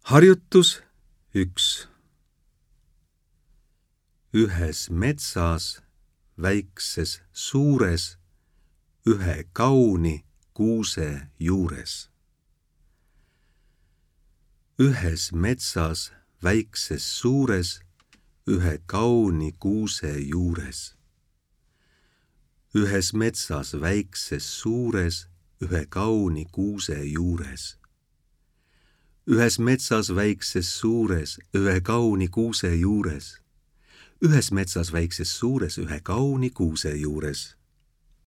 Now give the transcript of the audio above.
Harjutus 1. Ühes metsas, väikses suures, ühe kauni kuuse juures. Ühes metsas, väikses suures, ühe kauni kuuse juures. Ühes metsas, väikses suures, ühe kauni kuuse juures. Ühes metsas, väikses suures, ühe kauni kuuse juures. Ühes metsas, väikses suures, ühe kauni kuuse juures.